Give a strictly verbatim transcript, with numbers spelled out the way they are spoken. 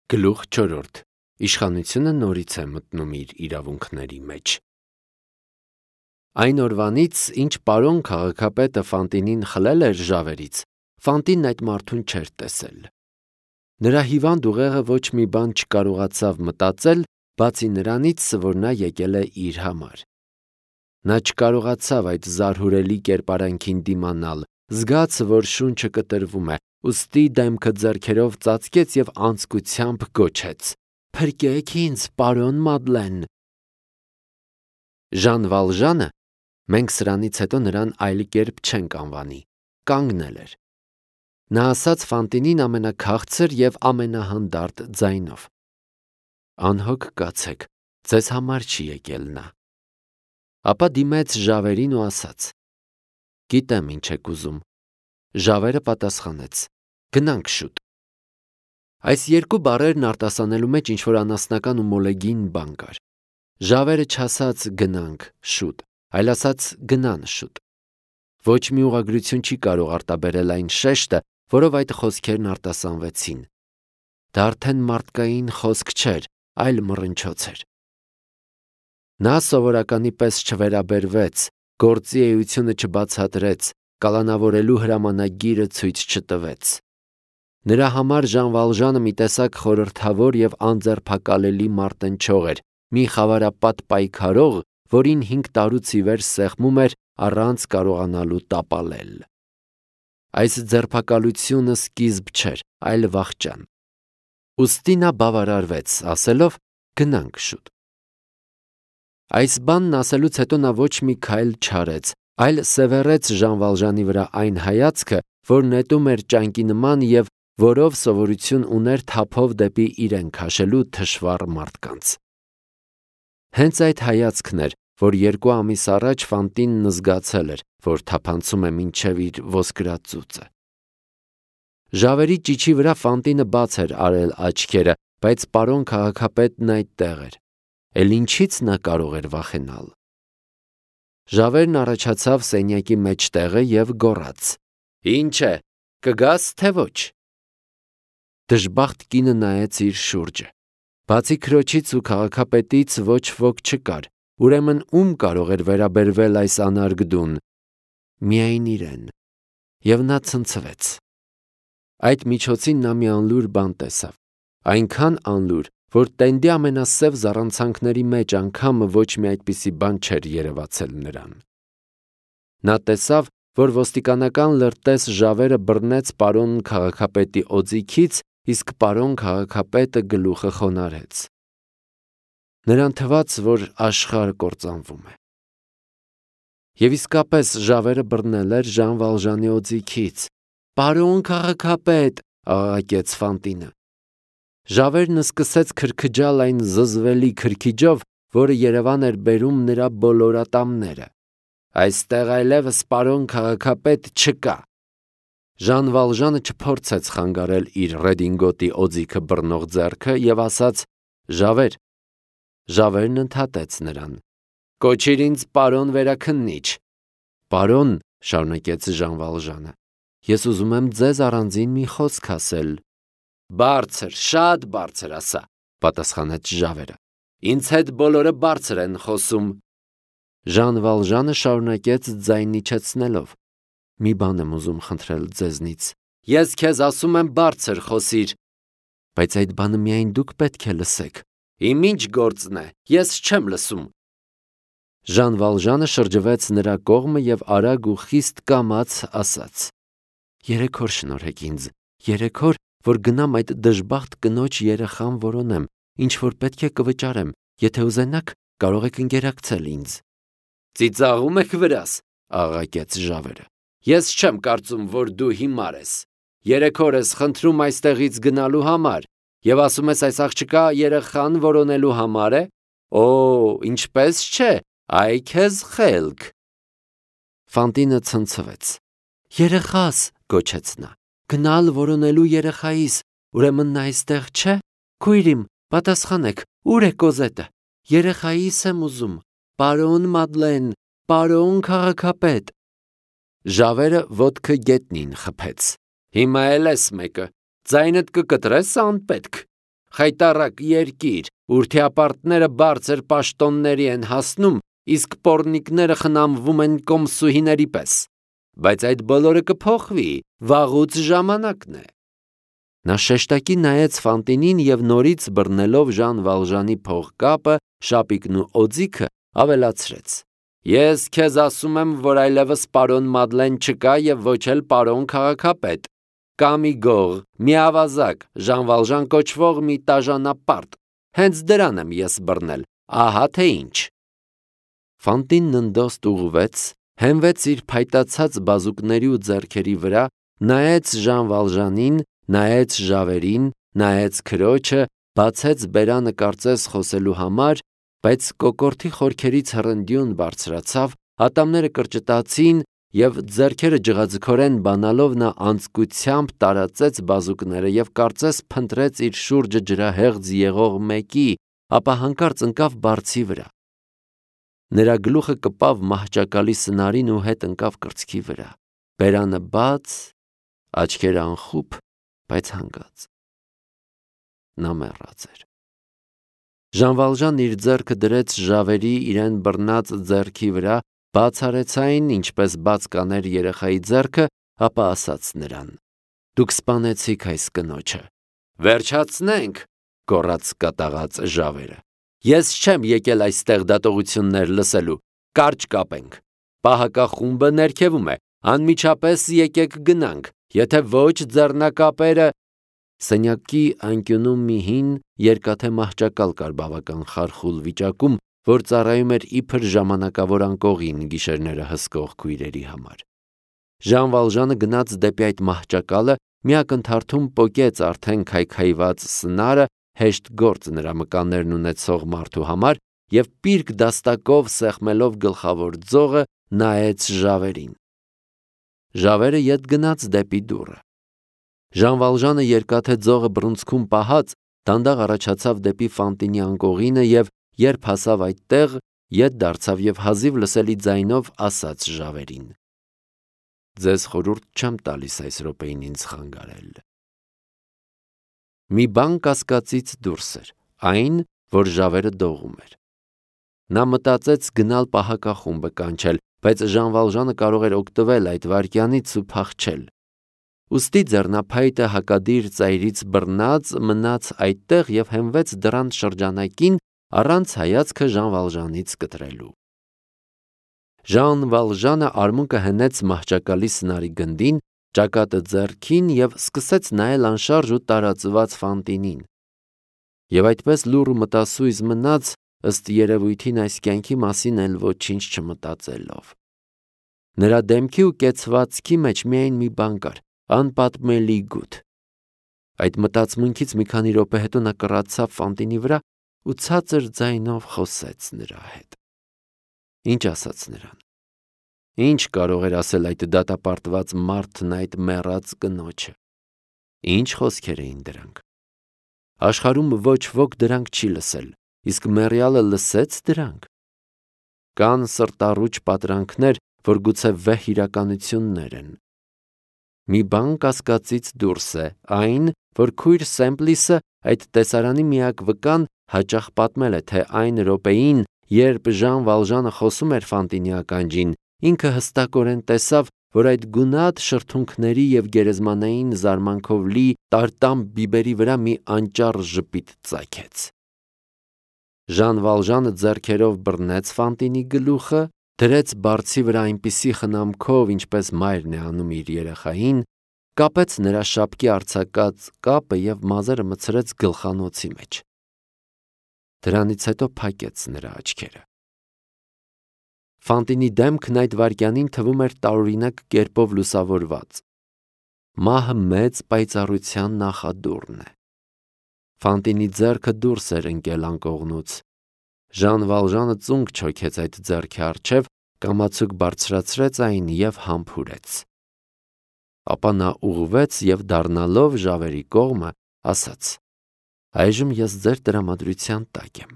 Գլուխ չորրորդ. Իշխանությունը նորից է մտնում իր իրավունքների մեջ։ Այն օրվանից, ինչ պարոն քաղաքապետը Ֆանտինին խլել էր ժավերից, Ֆանտինն այդ մարդուն չէր տեսել։ Նրա հիվանդ ուղեղը ոչ մի բան չկարողացավ մտածել, բացի նրանից, որ նա եկել է իր համար։ Նա չկարողացավ այդ զարհուրելի կերպարանքին դիմանալ, զգաց, որ շունչը կտրվում է, ուստի դեմքը ձեռքերով ծածկեց և անձկությամբ գոչեց. «Փրկեք ինձ, պարոն Մադլեն»։ Ժան Վալժանը, մենք սրանից հետո նրան այլ կերպ չենք անվանի, կանգնել էր։ Նա ասաց Ֆանտինին ամենաքաղցր և ամենահանդարտ ձայնով. «Անհոգ կացեք, ձեզ համար չի եկել նա»։ Ապա դիմեց ժավերին ու ասաց. «Գիտեմ ինչ եք ուզում»։ Ժավերը պատասխանեց. «Գնանք շուտ»։ Այս երկու բառերն արտասանելու մեջ ինչ-որ անասնական ու մոլեգին բան կար։ Ժավերը չասաց «գնանք շուտ», այլ ասաց «գնան շուտ»։ Ոչ մի ուղղագրություն չի կարող արտաբերել այն շեշտը, որով այդ խոսքերն արտասանվեցին։ Դա արդեն մարդկային խոսք չէր, այլ մռնչոց էր։ Նա սովորականի պես չվերաբերվեց, գործի էությունը չբացատրեց, կալանավորելու հրամանագիրը ցույց չտվեց։ Նրա համար Ժան Վալժանը մի տեսակ խորհրդավոր և անձեռփակալելի մարտնչող էր, մի խավարապատ պայքարող, որին հինգ տարուց ի վեր սեղմում էր առանց կարողանալու տապալել։ Այս ձերբակալությունը սկիզբ չէր, այլ վախճան։ Ուստի նա բավարարվեց, ասելով «գնանք շուտ»։ Այս բանն ասելուց հետո նա ոչ մի քայլ չարեց, այլ սևեռեց Ժան Վալժանի վրա այն հայացքը, որ նետում էր ճանկի նման և որով սովորություն ուներ թափով դեպի իրեն քաշելու թշվառ մարդկանց։ Հենց այդ հայացքն էր, որ երկու ամիս առաջ Ֆանտինն զգացել էր, որ թափանցում է մինչև իր ոսկրածուծը։ Ժավերի ճիչի վրա Ֆանտինը բաց էր արել աչքերը, բայց պարոն քաղաքապետն այդտեղ էր։ Էլ ինչի՞ց նա կարող էր վախենալ։ Ժավերն առաջացավ սենյակի մեջտեղը և գոռաց. «Ինչ է, կգաս թե ոչ»։ Դժբախտ կինը նայեց իր շուրջը։ Բացի քրոջից ու քաղաքապետից ոչ ոք չկար, ուրեմն ում կարող էր վերաբերվել այս անարգդուն։ Միայն իրեն։ Եվ նա ցնցվեց։ Այդ միջոցին նա մի անլուր բան տեսավ։ Այնքան անլուր, որ տենդի ամենասև զառանցանքների մեջ անգամ ոչ մի այդպիսի բան չէր երևացել նրան։ Նա տեսավ, որ ոստիկանական լրտես ժավերը բռնեց պարոն քաղաքապետի օձիքից, իսկ պարոն քաղաքապետը գլուխը խոնարհեց։ Նրան թվաց, որ աշխարհը կործանվում է։ Եվ իսկապես ժավերը բռնել էր Ժան Վալժանի օձիքից։ «Պարոն քաղաքապետ», աղաղակեց Ֆանտինը։ Ժավերն սկսեց քրքջալ այն զզվելի քրքիջով, որը Երևան էր բերում նրա բոլոր ատամները։ «Այստեղ այլևս պարոն քաղաքապետ չկա»։ Ժան Վալժանը չփորձեց խանգարել իր ռեդինգոտի օձիքը բռնող ձեռքը և ասաց. «Ժավեր»։ Ժավերն ընդհատեց նրան. «Կոչիր ինձ պարոն վերաքննիչ»։ «Պարոն», շարունակեց Ժան Վալժանը, «ես ուզում եմ ձեզ առանձին մի խոսք ասել»։ «Բարձր, շատ բարձր ասա», պատասխանեց ժավերը։ «Ինձ հետ բոլորը բարձր են խոսում»։ Ժան Վալժանը շարունակեց ձայն իջեցնելով. «Մի բան եմ ուզում խնդրել ձեզնից»։ «Ես քեզ ասում եմ բարձր խոսիր»։ «Բայց այդ բանը միայն դուք պետք է լսեք»։ «Իմ ինչ գործն է, ես չեմ լսում»։ Ժան Վալժանը շրջվեց նրա կողմը և արագ ու խիստ կամաց ասաց. «Երեք օր շնորհեք ինձ, երեք օր, որ գնամ այդ դժբախտ կնոջ երեխան որոնեմ, ինչ որ պետք է կվճարեմ, եթե ուզենաք, կարող եք ընկերակցել ինձ»։ «Ծիծաղում եք վրաս», աղաղակեց ժավերը։ «Ես չեմ կարծում, որ դու հիմար ես։ Երեք օր ես խնդրում այստեղից գնալու համար և ասում ես այս աղջկա երեխան որոնելու համար է։ Օ, ինչպես չէ, այ քեզ խելք»։ Ֆանտինը ցնցվեց։ «Երեխաս», գոչեց նա, «գնալ որոնելու երեխայիս, ուրեմն նա այստեղ չէ։ Քույր իմ, պատասխանեք, ուր է Կոզետը։ Երեխայիս եմ ուզում, պարոն Մադլեն, պարոն քաղաքապետ»։ Ժավերը ոտքը գետնին խփեց։ «Հիմա էլ ես մեկը, ձայնդ կկտրես անպետք»։ խայտառակ երկիր, ուրթիապարտները բարձր պաշտոնների են հասնում, իսկ պոռնիկները խնամվում են կոմսուհիների պես։ Բայց այդ բոլորը կփոխվի, վաղուց ժամանակն է։ Նա շեշտակի նայեց Ֆանտինին և նորից բռնելով Ժան Վալժանի փողկապը, շապիկն ու օձիքը, ավելացրեց. Ես քեզ ասում եմ, որ այլևս պարոն Մադլեն չկա և ոչ էլ պարոն քաղաքապետ։ Կա մի գող, մի ավազակ, Ժան Վալժան կոչվող մի տաժանապարտ։ Հենց դրան եմ ես բռնել, ահա թե ինչ։ Ֆանտինն ընդոստ ուղղվեց, հենվեց իր փայտացած բազուկների ու ձեռքերի վրա, նայեց Ժան Վալժանին, նայեց Ժավերին, նայեց քրոջը, բացեց բերանը կարծես խոսելու համար, բայց կոկորդի խորքերից հռնդյուն բարձրացավ, ատամները կրճտացին և ձեռքերը ջղաձգորեն բանալով նա անձկությամբ տարածեց բազուկները և կարծես փնտրեց իր շուրջը ջրահեղձ եղող մեկի, ապա հանկարծ ընկավ բարձի վրա։ Նրա գլուխը կպավ մահճակալի սնարին ու հետ ընկավ կրծքի վրա, բերանը բաց, աչքերը անխուփ, բայց հանգած։ Նա մեռած էր։ Ժան Վալժանն իր ձեռքը դրեց Ժավերի իրեն բռնած ձեռքի վրա, բաց արեց այն, ինչպես բաց կաներ երեխայի ձեռքը, ապա ասաց նրան. Դուք սպանեցիք այս կնոջը։ Վերջացնենք, գոռաց կատաղած Ժավերը։ Ես չեմ եկել այստեղ դատողություններ լսելու, կարճ կապենք։ Պահակախումբը ներքևում է, անմիջապես եկեք գնանք, եթե ոչ ձեռնակապերը… Սենյակի անկյունում մի հին, երկաթե մահճակալ կար բավական խարխուլ վիճակում, որ ծառայում էր իբր ժամանակավոր անկողին գիշերները հսկող քույրերի համար։ Ժան Վալժանը գնաց դեպի այդ մահճակալը, մի ակնթարթում պոկեց արդեն քայքայված սնարը, հեշտ գործ նրա մկաններն ունեցող մարդու համար, և պիրկ դաստակով սեղմելով գլխավոր ձողը, նայեց Ժավերին։ Ժավերը ետ գնաց դեպի դուռը։ Ժան Վալժանը երկաթե ձողը բռունցքում պահած, դանդաղ առաջացավ դեպի Ֆանտինի անկողինը և, երբ հասավ այդտեղ, ետ դարձավ և հազիվ լսելի ձայնով ասաց Ժավերին. Ձեզ խորհուրդ չեմ տալիս այս րոպեին ինձ խանգարել։ Մի բան կասկածից դուրս էր, այն, որ Ժավերը դողում էր։ Նա մտածեց գնալ պահակախումբը կանչել, բայց Ժան Վալժանը կարող էր օգտվել այդ վայրկյանից ու փախչել։ Ուստի ձեռնափայտը հակադիր ծայրից բռնած մնաց այդտեղ և հենվեց դռան շրջանակին, առանց հայացքը Ժան Վալժանից կտրելու։ Ժան Վալժանը արմունկը հենեց մահճակալի սնարի գնդին, ճակատը ձեռքին և սկսեց նայել անշարժ ու տարածված Ֆանտինին։ Եվ այդպես լուռ ու մտասույզ մնաց, ըստ երևույթին այս կյանքի մասին էլ ոչինչ չմտածելով։ Նրա դեմքի ու կեցվածքի մեջ միայն մի բան կար, անպատմելի գութ։ Այդ մտածմունքից մի քանի րոպե հետո նա կռացավ Ֆանտինի վրա ու ցածր ձայնով խոսեց նրա հետ։ Ինչ ասաց նրան։ Ինչ կարող էր ասել այդ դատապարտված մարդն այդ մեռած կնոջը։ Ինչ խոսքեր էին դրանք։ Աշխարհում ոչ ոք դրանք չի լսել, իսկ մեռյալը լսեց դրանք։ Կան սրտառուչ պատրանքներ, որ գուցե վեհ իրականություններ են։ Մի բան կասկածից դուրս է, այն, որ քույր Սեմպլիսը, այդ տեսարանի միակ վկան, հաճախ պատմել է, թե այն րոպեին, երբ Ժան Վալժանը խոսում էր Ֆանտինի ականջին, ինքը հստակորեն տեսավ, որ այդ գունատ շրթունքների և գերեզմանային զարմանքով լի տարտամ բիբերի վրա մի անճառ ժպիտ ծագեց։ Ժան Վալժանը ձեռքերով բռնեց Ֆանտինի գլուխը, դրեց բարձի վրա այնպիսի խնամքով, ինչպես մայրն է անում իր երեխային, կապեց նրա շապկի արձակած կապը և մազերը մտցրեց գլխանոցի մեջ։ Դրանից հետո փակեց նրա աչքերը։ Ֆանտինի դեմքն այդ վայրկյանին թվում էր տարօրինակ կերպով լուսավորված։ Մահը մեծ պայծառության նախադուռն է։ Ֆանտինի ձեռքը դուրս էր ընկել անկողնուց։ Ժան Վալժանը ծունկ չոքեց այդ ձեռքի առջև, կամացուկ բարձրացրեց այն և համբուրեց։ Ապա նա ուղղվեց և դառնալով Ժավերի կողմը ասաց. Այժմ ես ձեր տրամադրության տակ եմ։